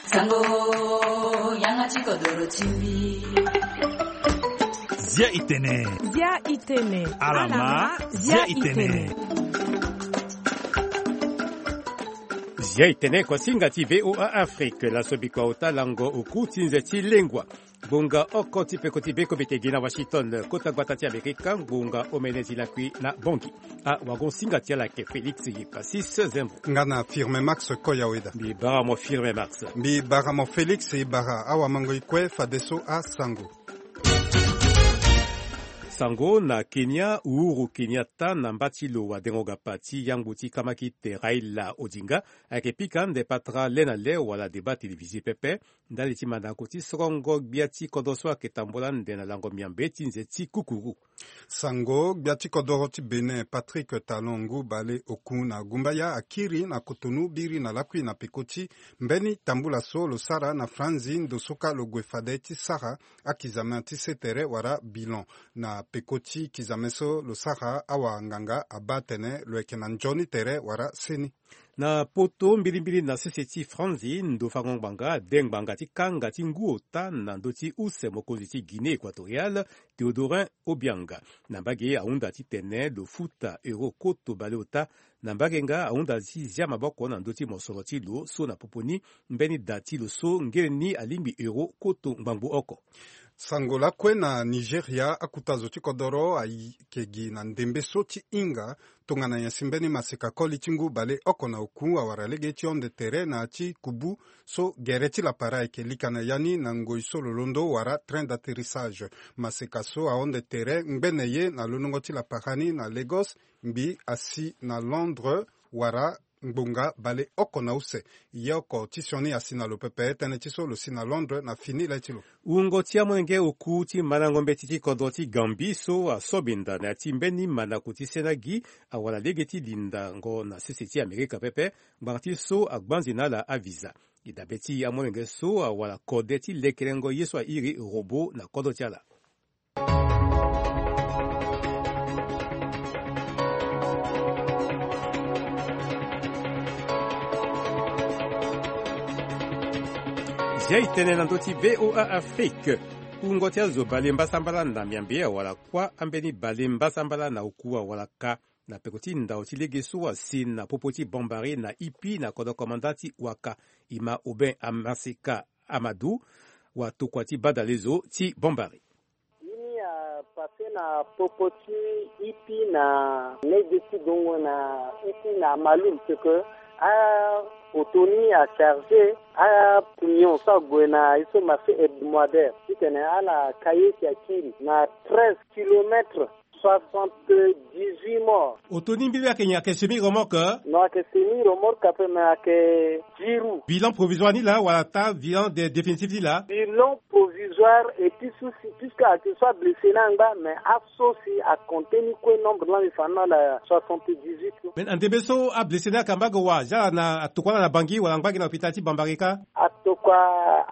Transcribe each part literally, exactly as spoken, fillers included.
Sango, yanga ti kodoro ti mbi. Zia itene. Zia itene. Alama, zia itene. Zia itene, kuasinga ti V O A Afrique, laso bikua ota lango oku ti nze ti lengua. Ngbonga oko ti peko ti beko bete gi na Washington, kota gbata ti Amerika, ngbonga omene ti lakui na Bongi. Awagosinga ti ala ayeke Félix Yepasis Zembo. Nga na Firme Max Koyaweda. Mbi bara mo Firme Max. Mbi bara mo Félix, e bara awamango e kue fadeso asango. Sango na Kenya, Uhuru Kenyatta na mba ti lo wadengo gapa ti yangbu ti kamakite Raila Odinga ayeke pika ande patara le na le wala débat télévisé pepe, ndali ti mandako ti sorongo gbia ti kodro so ayeke tambula ande na lango miambe ti nze ti kukuru. Sango, gbia ti kodoro ti Bénin, Patrick Talon, ngu bale oku na gumbaya, akiri na kotonu biri na lakui na peko ti mbeni tambula so lo sara na franzi ndo so ka lo gue fade ti sara akizame ti se tere wala bilan. Na peko ti kizame so lo sara, awanganga abaa atene lo yeke na nzoni tere wala seni. Na poto, mbilimbili na sese ti franzi, ndo fango ngbanga ade ngbanga ti kanga ti ngu ota na ndö ti use mokonzi ti Guinée Équatoriale, Théodorin Obiang. Na mbage ahunda titene lo futa euro koto baleota. Na mbage nga ahunda ti zia maboko na ndö ti mosoro ti lo so na popo ni mbeni da ti lo so ngele ni alingbi euro koto ngbangbo oko. Sango lakue na Nigeria, akuta zo ti kodoro ayeke gi na ndembe so ti hinga tongana nyen si mbeni maseka koli ti ngu baleoko na oku awara lege ti hon de terre na ya ti kubu so gere ti lapara ayeke lika na ya ni na ngoi so lo londo wala train d'atterrissage. Maseka so ahon de terre ngbene ye na londongo ti lapara ni na Lagos, mbi asi na Londres wala ngbonga baleoko na use. Ye oko ti sioni asi na lo pepe tënë ti so lo si na Londres na fini le ti lo. Wungo ti amolenge oku ti mandango mbeti ti kodro ti Gambie so asobinda na ya ti mbeni mandako ti sena gi awara lege ti lindango na sese ti Amerika pepe, ngbanga ti so agbanzi na ala avisa. E dabe ti amolenge so awara kode ti lekelengo ye so airi robot na kodro ti ala. Zia itene na ndö ti V O A Afrique. Wungo ti azo bale mbasambala na miambe awara kuâ ambeni bale mbasambala na oku awara ka na peko ti ndao ti lege so asi na popo ti Bambari na Ipi na kodro komanda ti waka. E ma Aubin Amaseka Amadou, watokua ti badalezo ti Bambari. Ye ni apasse na popo ti Ipi na lege ti gongo na Ipi na Malul, ce que aoto ni acharge acamion so ague na ye so marché hebdomadaire titene ala ka ye si akiri na treize kilomètres, soixante-dix-huit morts. Oto ni mbirimbiri ayeke nyen? Ayeke semi remorque? Non, ayeke semi remorque ape, mais ayeke dix roues. Bilan provisoire ni laa wala ata bilan de-, définitif ni laa? Bilan provisoire, et puis so si, puisque ayeke so ablessé ni angba, mais aso si acompté ni kue nombre ni la, mbi fa ni na ala soixante-dix-huit. Mais na ndembe so ablessé ni ayeke na mbage wa, zia ala na atokua ala na Bangui wala angba gi na hôpital ti Bambari kâ? Atokua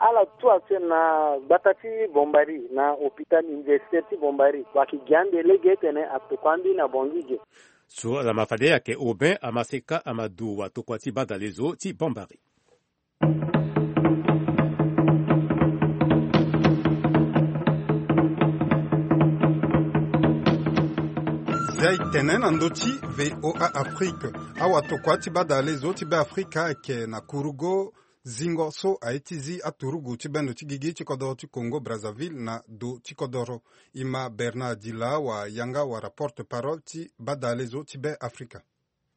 ala tout actuel na gbata ti Bambari, na hôpital universitaire ti Bambari. Wayeke gi ande lege titene atokua ambeni na Bangui ge. So ala ma fade ayeke Aubin Amaseka Amadou, watokua ti badalezo ti Bambari. Zia itene na ndö ti V O A Afrique. Awatokua ti badalezo ti Beafrika ayeke na kurugo zingo so aye ti zi aturugu ti bendo ti gigi ti kodoro ti Congo Brazzaville na do ti kodoro. E ma Bernard Dila, wayanga wala porte-parole ti badalezo ti Beafrika.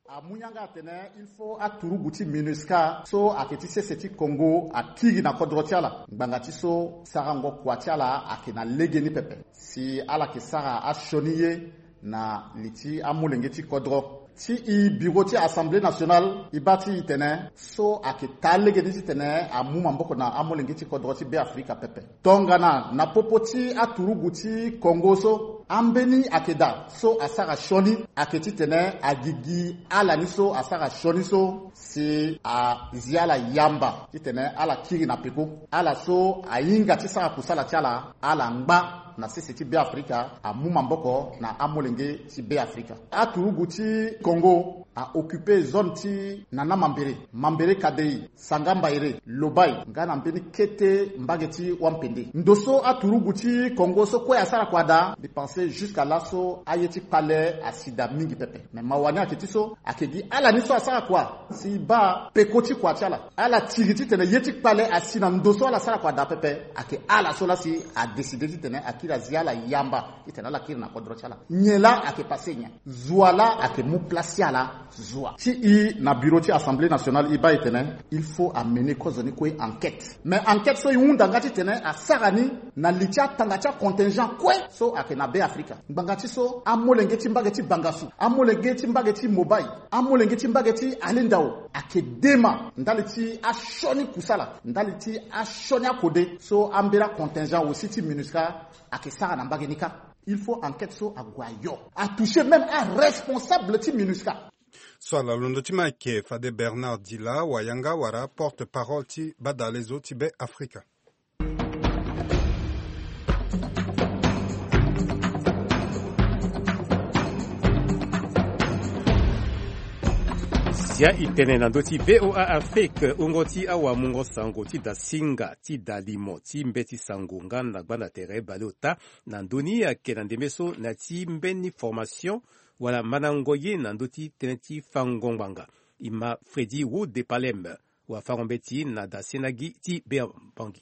Amu yanga atene il faut aturugu ti MINUSCA so ayeke ti sese ti Congo akiri na kodro ti ala ngbanga ti so sarango kua ti ala ayeke na legeni pepe. Si ala yeke sara asioni ye na li ti amolenge ti kodro. Ti e bureau ti Assemblée nationale e baa ti e tene so ayeke taa legeni titene amu maboko na amolenge ti kodro ti Beafrika pepe. Tongana na popo ti aturugu ti Congo so, ambeni ayeke daa so asara sioni ayeke titene agigi ala ni so asara sioni so si azi ala yamba titene ala kiri na peko. Ala so ahinga ti sara kusala ti ala, ala ngba na sese ti Beafrika, amu maboko na amolenge ti Beafrika. Aturugu ti Congo a occupe zone ti Nana Mambere, Mambere Kadei, Sanga Mbaire, Lobai, nga na mbeni kete mbage ti Wampende. Ndo so aturugu ti Congo so kue asara kua daa, mbi pense jusqu'à là so aye ti kpale asi daa mingi pepe. Mais mawa ni ayeke ti so, ayeke gi ala ni so asara kua si e baa peko ti kua ti ala. Ala tiri titene ye ti kpale asi na ndo so ala sara kua daa pepe, ayeke ala so laa si adécide titene akiri azi ala yamba titene ala kiri na kodro ti ala. Nyen laa ayeke passe nyen? Zo wa laa ayeke mu place ti ala. Zo wa ti e na bureau ti Assemblée nationale, e baa e tene il faut amener kozo ni kue enquête. Mais enquête so e hunda nga titene asara ni na li ti atanga ti acontingent kue so ayeke na Be Afrika. Ngbanga ti so amolenge ti mbage ti Bangassou, amolenge ti mbage ti Mobaye, amolenge ti mbage ti Alindao ayeke dema ndali ti asioni kusala, ndali ti asioni akode so ambeni acontingent aussi ti MINUSCA ayeke sara na mbage ni kâ. Il faut enquête so ague ayo, atoucher même aresponsable ti MINUSCA. So ala londo ti ma ayeke fade Bernard Dila, wayanga wala porte-parole ti badalezo ti Be Afrika. Zia e tene na ndö ti V O A Afrique, wungo ti awamungo sango ti da singa ti da limo ti mbeti sango nga na gbanda tere baleota. Na ndö ni ayeke na ndembe so na ya ti mbeni formation wala mandango ye na ndö ti tënë ti fango ngbanga. E ma Freddy Wood de Palem, wafango-mbeti na da sendagi ti Be Bangui.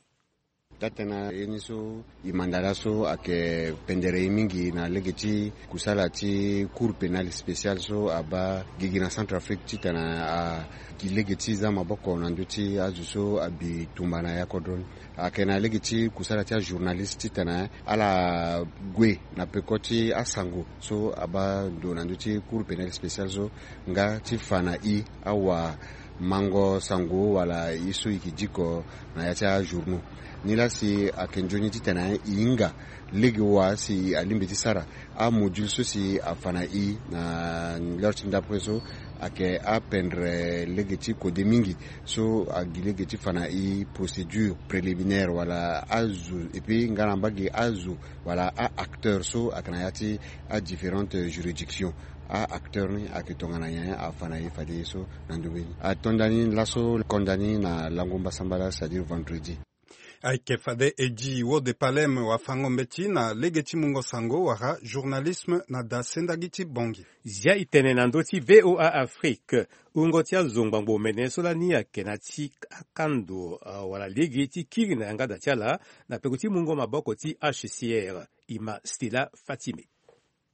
Taa-tënë ye ni so e manda laso ayeke pendere ye mingi na lege ti kusala ti Cour pénale spéciale so abaa gigi na Centrafrique titene a gi lege ti za maboko na ndö ti azo so abi tumba na ya kodro ni. Ayeke na lege ti kusala ti ajournaliste titene ala gue na peko ti asango so abaa ndo na ndö ti Cour pénale spéciale so nga ti fa na e awamango sango wala ye so e yeke diko na ya ti ajournaux. Ni laa si ayeke nzoni titene e hinga lege wa si alingbi ti sara amodule so si afa na e na l'heure ti ndapre so ayeke apendre lege ti kode mingi so agi lege ti fa na e procédure préliminaire wala azo, et puis nga na mbage azo wala a-acteur so ayeke na ya ti adifférentes juridictions. A-acteur ni ayeke tongana nyen afa na e fade ye so na ndö mbeni atonda ni laso konda ni na lango mbasambala, c'est-à-dire vendredi. Ayeke fade Eddy Wode Palem, wafango-mbeti na lege ti mungo sango wala journalisme na da sendagi ti Bangui. Zia e tene na ndö ti V O A Afrique, wungo ti azo ngbangbo mene so lani ayeke na ya ti akando, ah, wala lege ti kiri na yanga da ti ala na peko ti mungo maboko ti H C R. E ma Stella Fatime.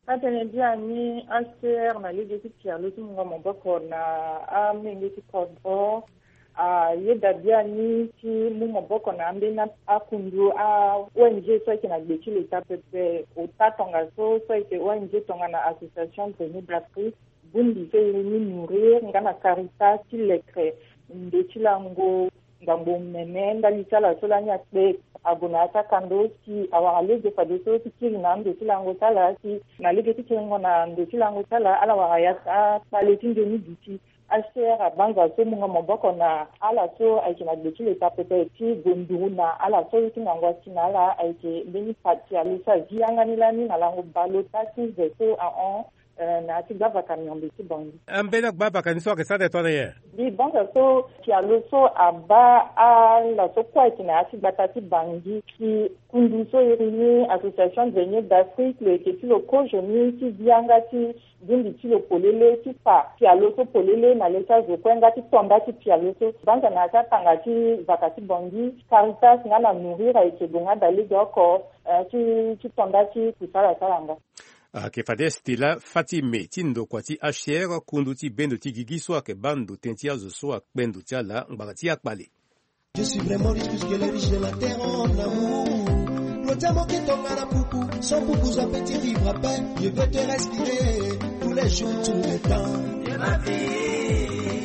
Atene biani H C R na lege ti pialo ti mungo maboko na amenge ti kodro. Ayeda biani ti mu maboko na ambeni akundu a-O N G so ayeke na gbe ti leta pepe. Ota tongaso so ayeke O N G tongana Association Grenier d'Afrique, bungbi so e iri ni Nourrir nga na Caritas ti leke ndo ti lango ngbangbo mene ndali ti ala so lani akpe ague na ya ti akando si awara lege fadeso ti kiri na ando ti lango ti ala si na lege ti kiringo na ando ti lango ti ala ala wara ya ti akpale ti nzoni duti. H C R abanza so mungo maboko na ala so ayeke na gbe ti leta pepe ti gue nduru na ala so ye ti ngangu asi na ala ayeke mbeni pati alo so azi yanga ni lani na lango baleota ti ve so ahon. Eh, na ya ti gbavaka miombe ti Bangui. Ambeni agbavaka ni so ayeke sara tene tongana nyen? Mbi banza so pialo so abaa ala so kue ayeke na ya ti gbata ti Bangui si kundu so iri ni Association Grenier d'Afrique lo yeke ti lo kozo ni ti zi yanga ti bungbi ti lo polele ti fa pialo so polele na le ti azo kue nga ti tonda ti pialo so. Banza na ya ti atanga ti vaka ti Bangui, Caritas nga na Nourrir ayeke gue nga daa lege oko, eh, ti, ti tonda ti kusala ti ala nga. Ayeke fade Stella Fatime ti ndokua ti H C R, kundu ti bendo ti gigi so ayeke baa ndo tënë ti azo so akpe ndo ti ala ngbanga ti akpale. Je suis vraiment riche puisque les riches de la terre ont l'amour. Lo ti amo ke tongana puku, sans puku zo ape ti vivre ape. Je veux te respirer tous les jours, tout le temps.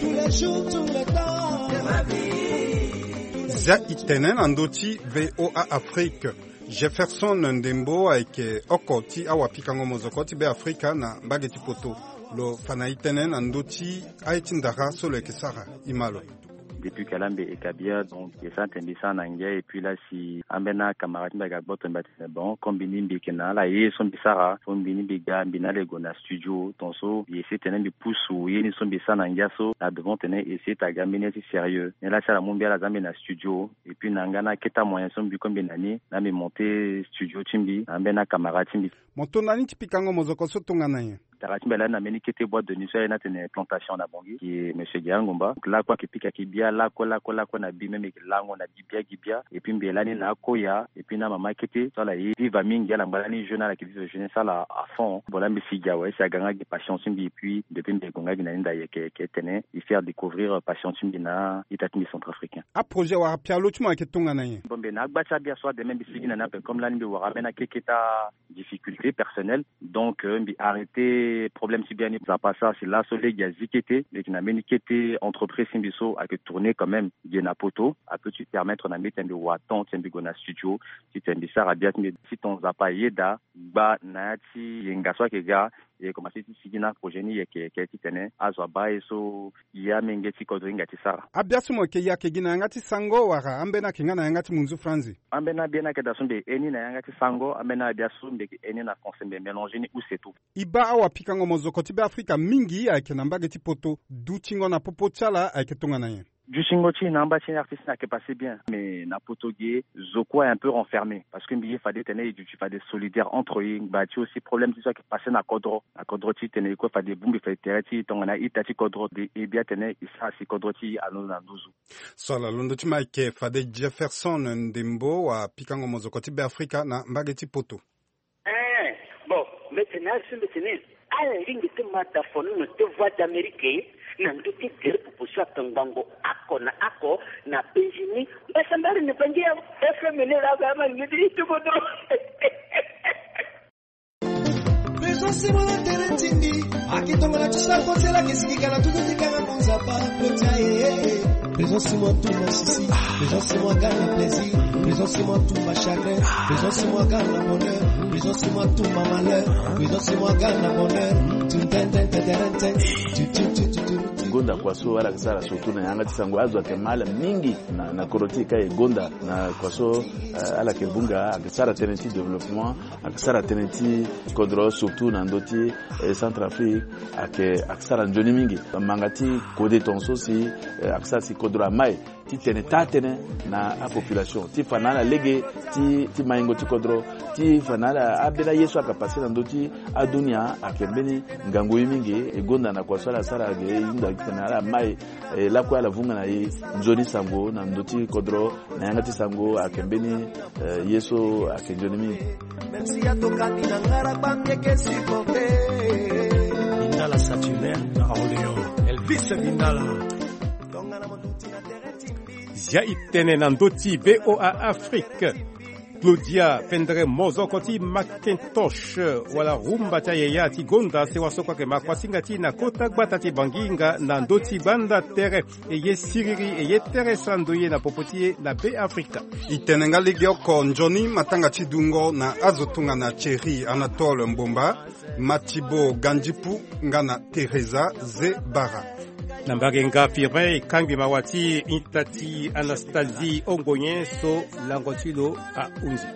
Tous les jours, tout le temps. Zia e tene na ndö ti V O A Afrique. Jefferson Ndembo ayeke oko ti awapikango mozoko ti Be Afrika na mbage ti poto. Lo fa na e tënë na ndö ti aye ti ndara so lo yeke sara. E ma lo. Depuis que ala mbi e kabia, donc e sara tene mbi sara na ngia. Et puis la si ambeni acamarade ti mbi aga gboto mbi atene bon, comme mbi ni mbi yeke na ala ye so mbi sara, so mbi ni mbi ga mbi na ala e gue na studio. Tongaso mbi essayer tene mbi pusu ye ni so mbi sara na ngia so na devant tene essayer tene aga mbeni ya ti sérieux. Ni la si ala mu mbi ala za mbi na studio. Et puis na nga na akete amoyen so mbi kue mbi na ni, na mbi monter studio ti mbi na ambeni acamarade ti mbi. Mo to na ni ti pikango mozoko so tongana nyen? Tara ti mbi lani na mbeni kete boîte de nuit so aye ni atene Plantation na Bangui, ki monsieur Guérin Ngomba. Donc lakue ayeke pika ki bia lakue lakue lakue na bi, même e yeke lango na gi bia gi bia. Et puis mbi lani na akoya et puis na amama kete so ala ye viva mingi, ala ngba lani jeune, ala yeke vive jeunesse ala à fond. Bon la mbi si gi awe si aga nga gi passion ti mbi. Et puis depuis mbi gue nga gi na ni nda yeke yeke tene e faire découvrir passion ti mbi na ita ti mbi centrafricain. Aprojet wala pialo ti mo ayeke tongana nyen? Bon mbi na agba ti abia so ademe mbi sigi na ni ape comme lani mbi wara ambeni akeketa difficulté personnelle. Donc euh, mbi arrêter problème ti biani. Nzapa asara si laso lege azi kete, mbi yeke na mbeni kete entreprise ti mbi so ayeke tourner quand même ge na poto. Apeut ti permettre na mbi titene mbi wara temps titene mbi gue na studio, titene mbi sara bia ti mbi. Si ton Nzapa ayeda gba na ya ti yenga so ayeke ga, e commencer ti sigi na projet ni yeke yeke titene azo abaa ye so, ya amenge ti kodro hinga ti sara. Abia so mo yeke ye ayeke gi na yanga ti sango wala ambeni ayeke nga na yanga ti munzu franzi? Ambeni abia ni ayeke daa so mbi heni na yanga ti sango, ambeni abia so mbi yeke heni na français, mbi mélanger ni use tout. E baa awapikango mozoko ti Beafrika mingi ayeke na mbage ti poto. Dutingo na popo ti ala ayeke tongana nyen? Dutingo ti e na amba ti artiste ni ayeke passer bien, mais na poto ge zo kue un peu renfermé, parce que mbi ye fade tene e duti fade solidaire entre e. Ngba ti aussi problème ti so ayeke passer na kodro, na kodro ti tene e kue fade e bongbi fade tere ti e tongana ita ti kodro, de e bia tene e sara si kodro ti e alondo na nduzu. So ala londo ti mo ayeke fade Jefferson Ndembo, wapikango mozoko ti Beafrika na mbage ti poto. Eh, bon, mbi tene azo mbi tene ala lingbi ti ma da fonono ti Voix d'Amérique na ndö ti gere popo so atongbango oko na oko na Benjini. Mbasambari ni bangi ya F M ni la ba ma ni ti tuko do. Présence mo na tere ti mbi. Aki tongana ti sa kosela ke siki kana tutu ti kanga konza pa kota e. Présence mo tout ma sisi. Présence mo gana plaisir. Présence mo tout ma chagrin. Présence mo gana bonheur. Présence mo tout ma malheur. Présence mo gana bonheur. Tun ten ten ten ten ten. Tu tu tu tu tu. Gonda kua so ala ke sara surtout na yanga ti sango azo ayeke ma ala mingi na, na kodro ti e ka e gonda na kua so, eh, ala ke bunga ayeke sara tënë ti développement. Ayeke sara tënë ti kodro surtout na ndö ti, eh, Centrafrique. Ayeke, ayeke sara nzoni mingi. Manga ti kode tongaso si, eh, ayeke sara si kodro amai ti tene taa tënë na apopulation ti fa na ala lege ti, ti maingo ti kodro, ti fa na ala ambeni aye so ayeke pase na ndö ti adunia. Ayeke mbeni ngangu ye mingi. E gonda na kua so ala sara ge e hunda titene ala mai. E lakue ala vunga na e nzoni sango na ndö ti kodro na yanga ti sango ayeke mbeni, eh, ye so ayeke nzoni mingi. Même si ya toka ti na ngara kpambi eke supporter. Bindala Saturnin na Orléans, Elvis Bindala. Tongana mo duti na tere ti mbi. Zia e tene na ndö ti V O A Afrique. Claudia Fendre, mozoko ti Macintosh, wala rumba ti ayaya ti gonda sewa so kue ayeke ma kuasinga ti e na kota gbata ti Bangi nga na ndö ti gbanda tere. E ye siriri, e ye tere sando ye na popo ti e na Beafrika. E tene nga legeoko nzoni matanga ti dungo na azo tongana Thierry Anatole Mbomba, Matibo Gandipu nga na Teresa Zebara. Na mbage nga Firmin e kangbi mawa ti ita ti Anastasie Ongonyen so lango ti lo ahunzi.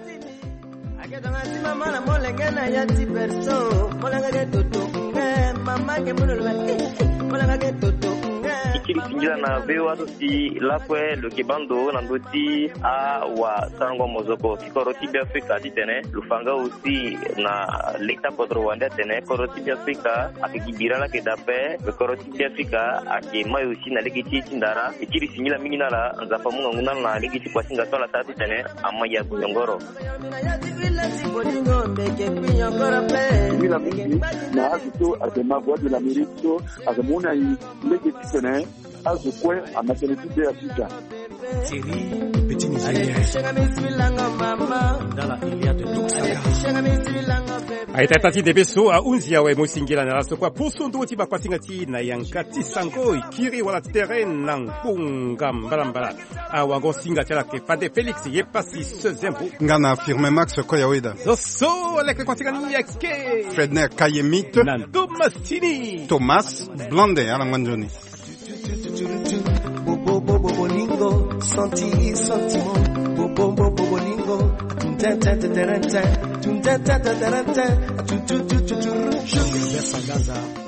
Ake tongana ti mama na molenge na ya ti berceau, molenge ke toto, eh, mama ke munu lo, eh, molenge ke toto, eh. E kiri singila na V O A so si lakue lo yeke baa ndo na ndö ti awasarango mozoko ti kodro ti Beafrika titene lo fa nga aussi na leta kodro wande atene kodro ti Beafrika ayeke gi bira laa ayeke daa ape. Kodro ti Beafrika ayeke mai aussi na lege ti e ti ndara. E kiri singila mingi na ala, Nzapa amu ngangu na ala na lege ti kuasinga so ala sara titene ama ya gue yongoro. Singila mingi na azo so ayeke ma Voix de l'Amérique so ayeke mu na e lege titene azo kue ama tënë ti Beafrika. Thierry, petit Nigeria. Ndala Iliade Duksaka. Aita ita ti debe so ahunzi awe, mo singila na ala so kue aposo ndö ti bakuasinga ti e na yanga ti sango. E kiri wala tere na ngbonga mbalambala. Awago singa ti ala ayeke fade Félix Yepasi Sezembo. Nga na Firmin Max Koyaweda. Zo so aleke kuasinga ni ayeke Fredner Kayemite na Thomas Tini. Thomas Blonde, ala ngba nzoni. Santi, sentiment, bobo, bobo, bolingo, tuntententeterenten, tuntententeterenten, tututututu. Jean Gilbert Sangaza.